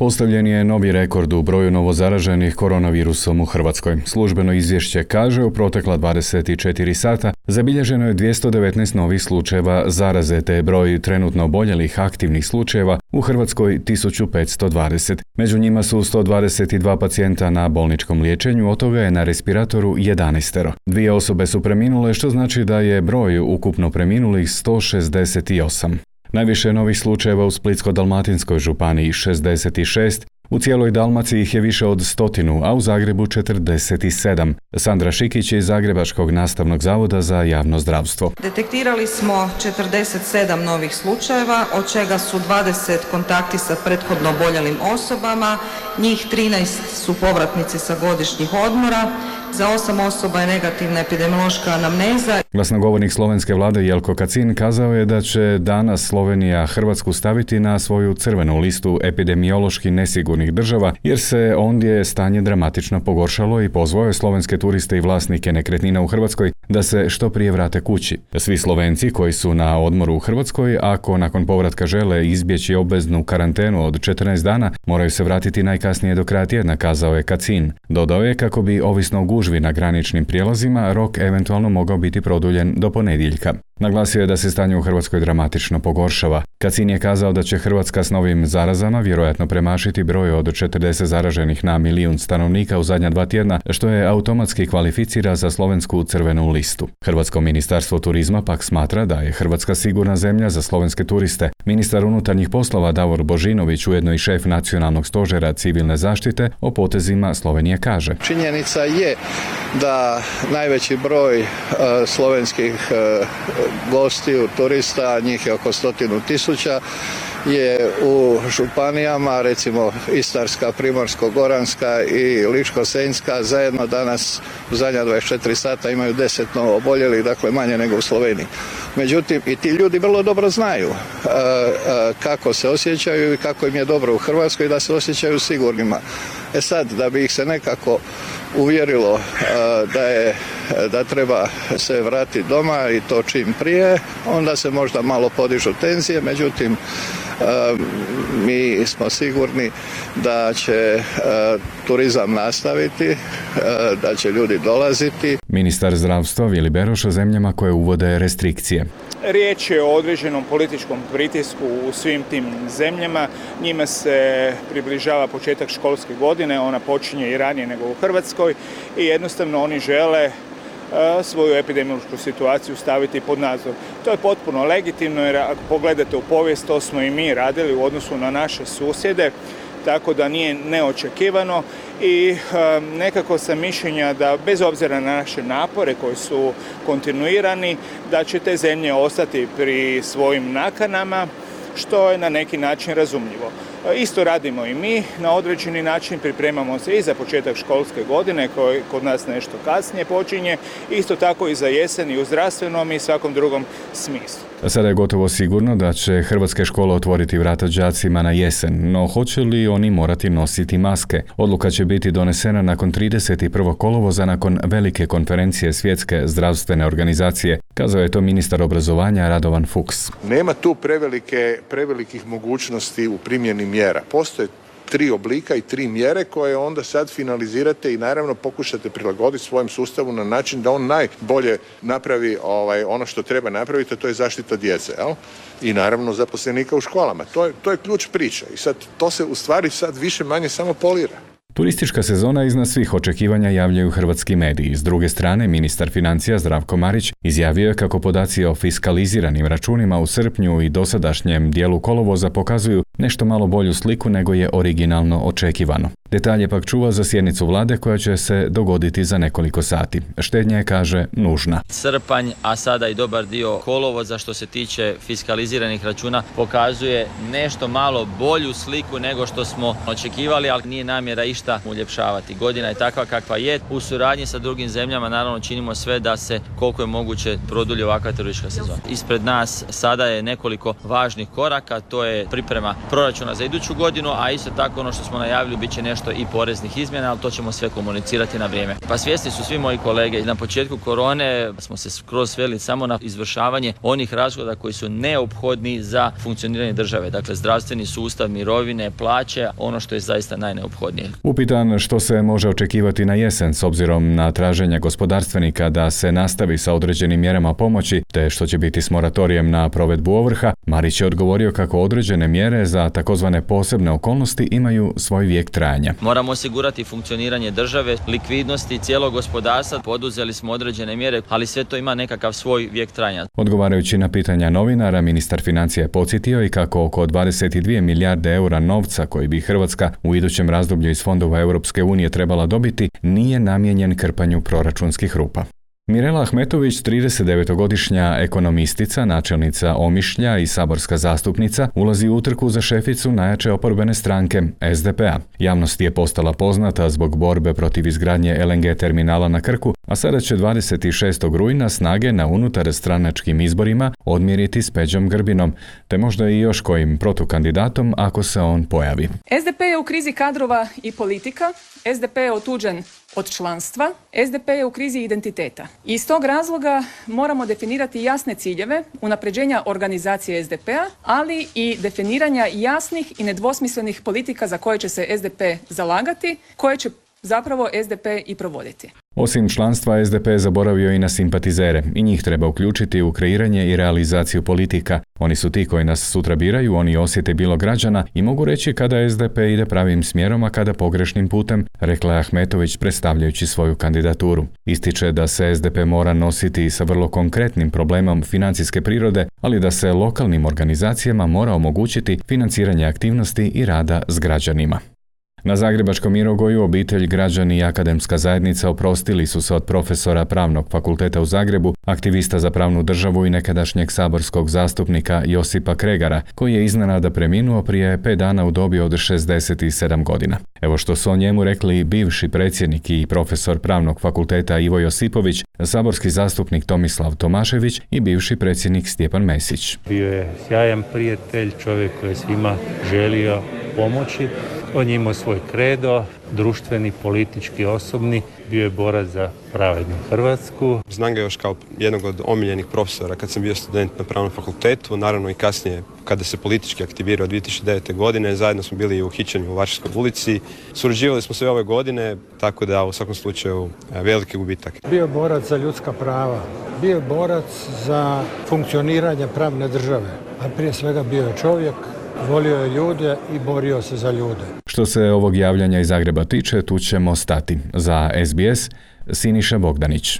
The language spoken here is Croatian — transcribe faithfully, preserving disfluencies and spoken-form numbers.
Postavljen je novi rekord u broju novozaraženih koronavirusom u Hrvatskoj. Službeno izvješće kaže u protekla dvadeset četiri sata zabilježeno je dvjesto devetnaest novih slučajeva zaraze, te je broj trenutno oboljelih aktivnih slučajeva u Hrvatskoj tisuću petsto dvadeset. Među njima su sto dvadeset dva pacijenta na bolničkom liječenju, od toga je na respiratoru jedanaest. Dvije osobe su preminule, što znači da je broj ukupno preminulih sto šezdeset osam. Najviše novih slučajeva u Splitsko-dalmatinskoj županiji šezdeset šest, u cijeloj Dalmaciji ih je više od stotinu, a u Zagrebu četrdeset sedam. Sandra Šikić iz Zagrebačkog nastavnog zavoda za javno zdravstvo. Detektirali smo četrdeset sedam novih slučajeva, od čega su dvadeset kontakti sa prethodno oboljelim osobama, njih trinaest su povratnici sa godišnjih odmora, za osam osoba je negativna epidemiološka anamneza. Glasnogovornik slovenske vlade Jelko Kacin kazao je da će danas Slovenija Hrvatsku staviti na svoju crvenu listu epidemiološki nesigurnih država, jer se ondje stanje dramatično pogoršalo, i pozvao je slovenske turiste i vlasnike nekretnina u Hrvatskoj da se što prije vrate kući. Svi Slovenci koji su na odmoru u Hrvatskoj, ako nakon povratka žele izbjeći obveznu karantenu od četrnaest dana, moraju se vratiti najkasnije do kraja tjedna, kazao je Kacin. Dodao je kako bi, ovisno o gužvi na graničnim prijelazima, rok eventualno mogao biti produljen do ponedjeljka. Naglasio je da se stanje u Hrvatskoj dramatično pogoršava. Kacin je kazao da će Hrvatska s novim zarazama vjerojatno premašiti broj od četrdeset zaraženih na milijun stanovnika u zadnja dva tjedna, što je automatski kvalificira za slovensku crvenu listu. Hrvatsko ministarstvo turizma pak smatra da je Hrvatska sigurna zemlja za slovenske turiste. Ministar unutarnjih poslova Davor Božinović, ujedno i šef nacionalnog stožera civilne zaštite, o potezima Slovenije kaže: Činjenica je da najveći broj uh, slovenskih uh, gostiju, turista, njih je oko stotinu tisuća, je u županijama, recimo Istarska, Primorsko-goranska i Ličko-senjska, zajedno danas u zadnja dvadeset četiri sata imaju deset novo oboljelih, dakle manje nego u Sloveniji. Međutim, i ti ljudi vrlo dobro znaju uh, uh, kako se osjećaju i kako im je dobro u Hrvatskoj, da se osjećaju sigurnima. E sad, da bi ih se nekako uvjerilo uh, da je da treba se vratiti doma i to čim prije, onda se možda malo podižu tenzije, međutim uh, mi smo sigurni da će uh, turizam nastaviti, uh, da će ljudi dolaziti. Ministar zdravstva Vili Beroš o zemljama koje uvode restrikcije. Riječ je o određenom političkom pritisku u svim tim zemljama. Njima se približava početak školske godine, ona počinje i ranije nego u Hrvatskoj i jednostavno oni žele svoju epidemiološku situaciju staviti pod nadzor. To je potpuno legitimno, jer ako pogledate u povijest, to smo i mi radili u odnosu na naše susjede, tako da nije neočekivano i um, nekako sam mišljenja da bez obzira na naše napore koji su kontinuirani, da će te zemlje ostati pri svojim nakanama, što je na neki način razumljivo. Isto radimo i mi, na određeni način pripremamo se i za početak školske godine, koji kod nas nešto kasnije počinje, isto tako i za jesen i u zdravstvenom i svakom drugom smislu. Sada je gotovo sigurno da će hrvatske škole otvoriti vrata đacima na jesen, no hoće li oni morati nositi maske? Odluka će biti donesena nakon trideset prvog kolovoza, nakon velike konferencije Svjetske zdravstvene organizacije, kazao je to ministar obrazovanja Radovan Fuchs. Nema tu prevelike, prevelikih mogućnosti u primjeni mjera. Postoje tri oblika i tri mjere koje onda sad finalizirate i naravno pokušate prilagoditi svojem sustavu na način da on najbolje napravi ovaj, ono što treba napraviti, a to je zaštita djece, jel? I naravno zaposlenika u školama. To je, to je ključ priče i sad to se u stvari sad više manje samo polira. Turistička sezona iznad svih očekivanja javljaju hrvatski mediji. S druge strane, ministar financija Zdravko Marić izjavio je kako podaci o fiskaliziranim računima u srpnju i dosadašnjem dijelu kolovoza pokazuju nešto malo bolju sliku nego je originalno očekivano. Detalje pak čuva za sjednicu vlade koja će se dogoditi za nekoliko sati. Štednja je, kaže, nužna. Srpanj, a sada i dobar dio kolovoza što se tiče fiskaliziranih računa pokazuje nešto malo bolju sliku nego što smo očekivali, ali nije namjera išta uljepšavati. Godina je takva kakva je. U suradnji sa drugim zemljama naravno činimo sve da se koliko je moguće produlji ovakva turistička sezona. Ispred nas sada je nekoliko važnih koraka, to je priprema proračuna za iduću godinu, a isto tako ono što smo najavili bit će nešto i poreznih izmjena, ali to ćemo sve komunicirati na vrijeme. Pa svjesni su svi moji kolege, na početku korone smo se skroz sveli samo na izvršavanje onih rashoda koji su neophodni za funkcioniranje države, dakle zdravstveni sustav, mirovine, plaće, ono što je zaista najneophodnije. Upitan što se može očekivati na jesen s obzirom na traženja gospodarstvenika da se nastavi sa određenim mjerama pomoći, te što će biti s moratorijem na provedbu ovrha, Marić je odgovorio kako određene mjere za takozvane posebne okolnosti imaju svoj vijek trajanja. Moramo osigurati funkcioniranje države, likvidnosti cijelog gospodarstva, poduzeli smo određene mjere, ali sve to ima nekakav svoj vijek trajanja. Odgovarajući na pitanja novinara, ministar financija je podsjetio i kako oko dvadeset dvije milijarde eura novca koji bi Hrvatska u idućem razdoblju iz fondova Europske unije trebala dobiti nije namijenjen krpanju proračunskih rupa. Mirela Ahmetović, tridesetdevetogodišnja ekonomistica, načelnica Omišlja i saborska zastupnica, ulazi u utrku za šeficu najjače oporbene stranke S D P-a. Javnost je postala poznata zbog borbe protiv izgradnje L N G terminala na Krku, a sada će dvadeset šestog rujna snage na unutarstranačkim izborima odmjeriti s Peđom Grbinom, te možda i još kojim protukandidatom ako se on pojavi. S D P je u krizi kadrova i politika, S D P je otuđen od članstva, S D P je u krizi identiteta. Iz tog razloga moramo definirati jasne ciljeve unapređenja organizacije S D P-a, ali i definiranja jasnih i nedvosmislenih politika za koje će se S D P zalagati, koje će zapravo S D P i provoditi. Osim članstva, S D P je zaboravio i na simpatizere i njih treba uključiti u kreiranje i realizaciju politika. Oni su ti koji nas sutra biraju, oni osjete bilo građana i mogu reći kada S D P ide pravim smjerom, a kada pogrešnim putem, rekla je Ahmetović predstavljajući svoju kandidaturu. Ističe da se S D P mora nositi sa vrlo konkretnim problemom financijske prirode, ali da se lokalnim organizacijama mora omogućiti financiranje aktivnosti i rada s građanima. Na zagrebačkom Mirogoju obitelj, građani i akademska zajednica oprostili su se od profesora Pravnog fakulteta u Zagrebu, aktivista za pravnu državu i nekadašnjeg saborskog zastupnika Josipa Kregara, koji je iznenada preminuo prije pet dana u dobi od šezdeset sedam godina. Evo što su o njemu rekli bivši predsjednik i profesor Pravnog fakulteta Ivo Josipović, saborski zastupnik Tomislav Tomašević i bivši predsjednik Stjepan Mesić. Bio je sjajan prijatelj, čovjek koji je svima želio pomoći. On je imao svoj kredo, društveni, politički, osobni. Bio je borac za pravednu Hrvatsku. Znam ga još kao jednog od omiljenih profesora kad sam bio student na Pravnom fakultetu. Naravno i kasnije kada se politički aktivirao dvije tisuće devete. godine. Zajedno smo bili u hićenju u Varšavskoj ulici. Surađivali smo sve ove godine, tako da u svakom slučaju veliki gubitak. Bio je borac za ljudska prava. Bio je borac za funkcioniranje pravne države. A prije svega bio je čovjek. Volio je ljude i borio se za ljude. Što se ovog javljanja iz Zagreba tiče, tu ćemo stati. Za S B S, Siniša Bogdanić.